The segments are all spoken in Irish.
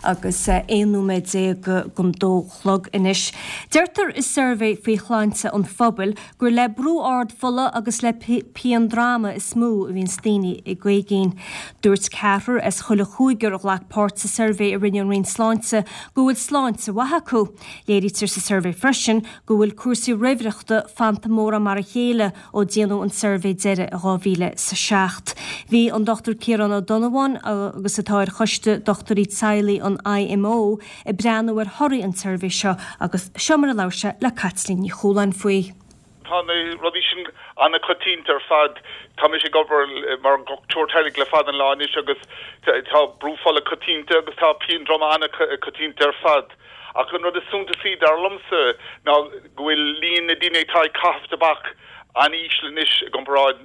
Agus 11 nóiméad don dó chlog anois. Deirtear i suirbhé faoi shláinte an phobail gur le brú ard fola agus le pian droma is mó a bhíonns daoine ag cogaint. Dúirt ceathrar as chuile chúigear a ghlac páirt sa suirbhé a rinne an Roinn Sláinte go bhfuil sláinte mhaith acu. Léirítear sa suirbhé freisin go bhfuil cúrsaí raimhreachta fanta mórán mar a chéile ó déanadh an suirbhé deiridh i 2007. Bhí an Dr Ciarán Ó Donnabháin, agus atá ar choiste dochtúirí teaghlaigh an IMO, ag breathnú ar thorthaí an tsuirbhé seo agus seo mar a labhair sé le Caitlín Ní Chualáin faoi. Tá na rudaí sin an-choitianta ar fad. Tá mise ag obair mar dhochtúir teaghlaigh le fada an lá anois agus tá brú fola coitianta agus tá pian droma an-choitianta ar fad. Ach an rud is suntasaí, dar liomsa, ná go bhfuil líon na daoine atá ag caitheamh tobac an-íseal anois i gcomparáid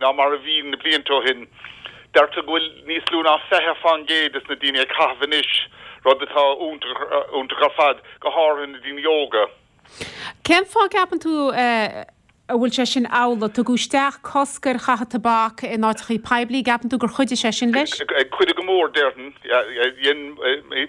ná mar a bhí na blianta ó shin. Deirtear go bhfuil níos lú ná 20% des na daoine ag caitheamh anois, rud atá iontach ar fad, go háirithe na daoine óga. Cén fáth a gceapann tú a bhfuil sé sin amhlaidh? Tugadh isteach cosc ar chaitheamh tobac in áiteachaí poiblí, gceapann tú gur chuidigh sé sin leis? Chuidigh go mór, déarfainn. Dhein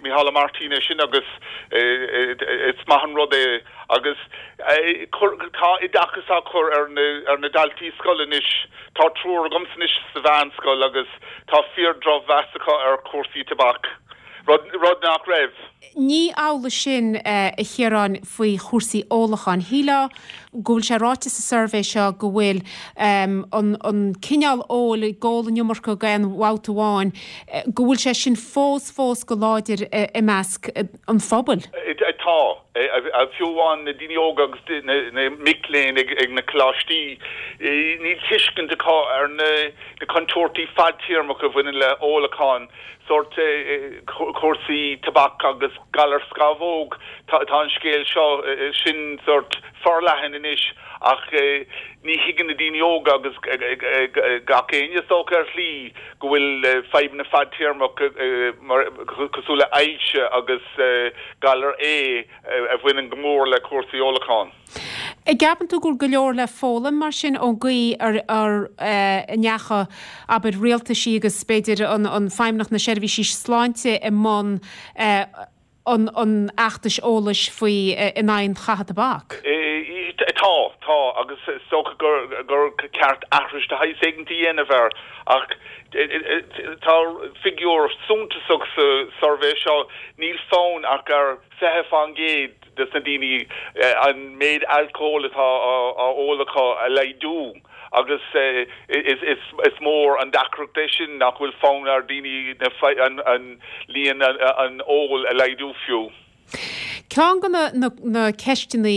Micheál Ó Máirtín é sin agus is maith an rud é. Agus tá oideachas á chur ar na daltaí scoile anois. Tá triúr agamsa anois sa mheánscoil agus tá fíor-dhrochmheas acu ar chúrsaí tobac, rud nach raibh. Ní amhlaidh sin, a Chiaráin, faoi chúrsaí ólacháin. Shílfeá go bhfuil sé ráite sa suirbhé seo go bhfuil an cineál óil, ag ól an iomarca d'aon bhabhta amháin, go bhfuil sé sin fós, fós go láidir i measc an phobail. Tá. Fiú amháin na daoine óga agus na mic léinn ag na coláistí, níl tuiscint acu ar na contúirtí fadtéarmacha a bhaineann le ólachán. sórt cúrsaí tobac agus galar scamhóg. Tá an scéal seo sin sórt forleathan anois ach ní thuigeann na daoine óga agus gach éinne is dócha ar shlí go bhfuil fadhbanna fadtéarmach cosúil le ailse agus galar ae a bhaineann go mór le cúrsaí ólacháin. An gceapann tú go bhfuil go leor le foghlaim mar sin ón gcaoi ar a ndeachaigh, abair, rialtaisí agus b'fhéidir an Feidhmeannacht na Seirbhísí Sláinte i mbun an fheachtais eolais faoi in aghaidh an chaitheamh tobac? Tá, tá, agus is dócha gur ceart aithris de shaghas éigint a dhéanamh air ach tá figiúr suntasach sa suirbhé seo, níl fonn ach ar 20% de na daoine an méid alcóil atá á ól acu a laghdú agus is mór an deacracht é sin nach bhfuil fonn ar dhaoine an líon an ól a laghdú fiú. Ceann de na ceisteanna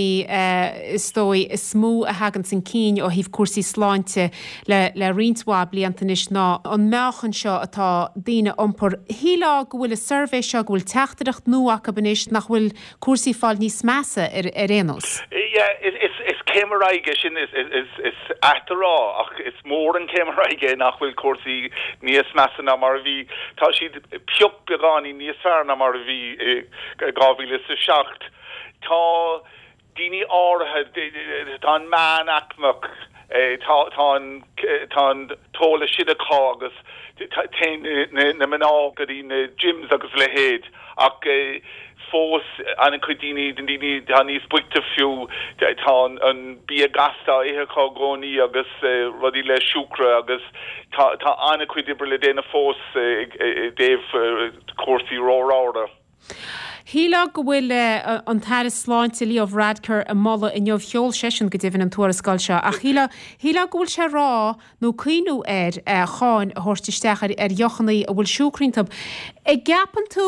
is dóigh is mó a thagann chun cinn ó thaobh cúrsaí sláinte le roinnt mhaith blianta anois ná an meáchan seo atá daoine a iompar. Shílfeá go bhfuil an suirbhé seo, go bhfuil teachtaireacht nua acu anois nach bhfuil cúrsaí ag fáil níos measa ar aon nós. Yeah, is céim ar aghaidh é sin, is ait a rá ach is mór an chéim ar aghaidh é nach bhfuil cúrsaí níos measa ná mar a bhí. Tá siad pioc beagáinín níos fearr ná mar a bhí i 2007. Tá. daoine áirithe, tá an meánaicmeach, tá an tá an t-eolas sin acu agus téann na mná go dtí na gyms agus a leithéid ach fós an-chuid daoine, na daoine atá níos boichte fiú, tá an bia gasta á ithe acu i gcónaí agus rudaí le siúcra agus tá tá an-chuid oibre le déanamh fós i dtaobh cúrsaí róramhra. Shílfeá go bhfuil an tAire Sláinte Leo Varadkar ag moladh inniu, sheol seisean go deimhin an tuarascáil seo, ach shílfeá, shílfeá go bhfuil sé ag rá nó cuimhniú ar cháin a thabhairt isteach ar ar dheochannaí a bhfuil siúcra iontu. An gceapann tú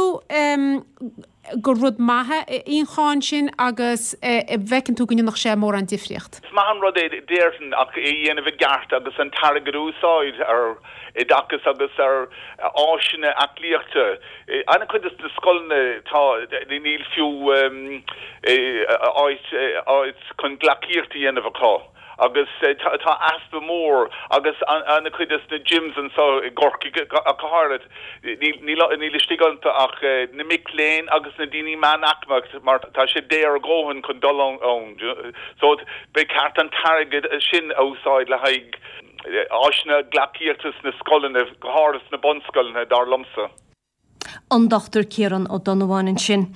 gur rud maith é an cháin sin agus an bhfeiceann tú go ndéanfadh sé mórán difríocht? Is maith an rud é déarfainn ach é a dhéanamh i gceart agus an t-airgead a úsáid ar oideachas agus ar áiseanna aclaíochta. An-chuid de na scoileanna tá, níl fiú áit áit chun gleacaíocht a dhéanamh acu agus tá easpa mór agus an-chuid de na gyms anseo i gCorcaigh ach go háirid, níl níl istigh iontu ach na mic léinn agus na daoine meánaicmeach mar tá sé daor a dhóthain chun dul ann. So ba cheart an t-airgead sin a úsáid le haghaidh áiseanna gleacaíochta sna scoileanna, go háirithe sna bunscoileanna, dar liomsa. An Dr Ciarán Ó Donnabháin ansin.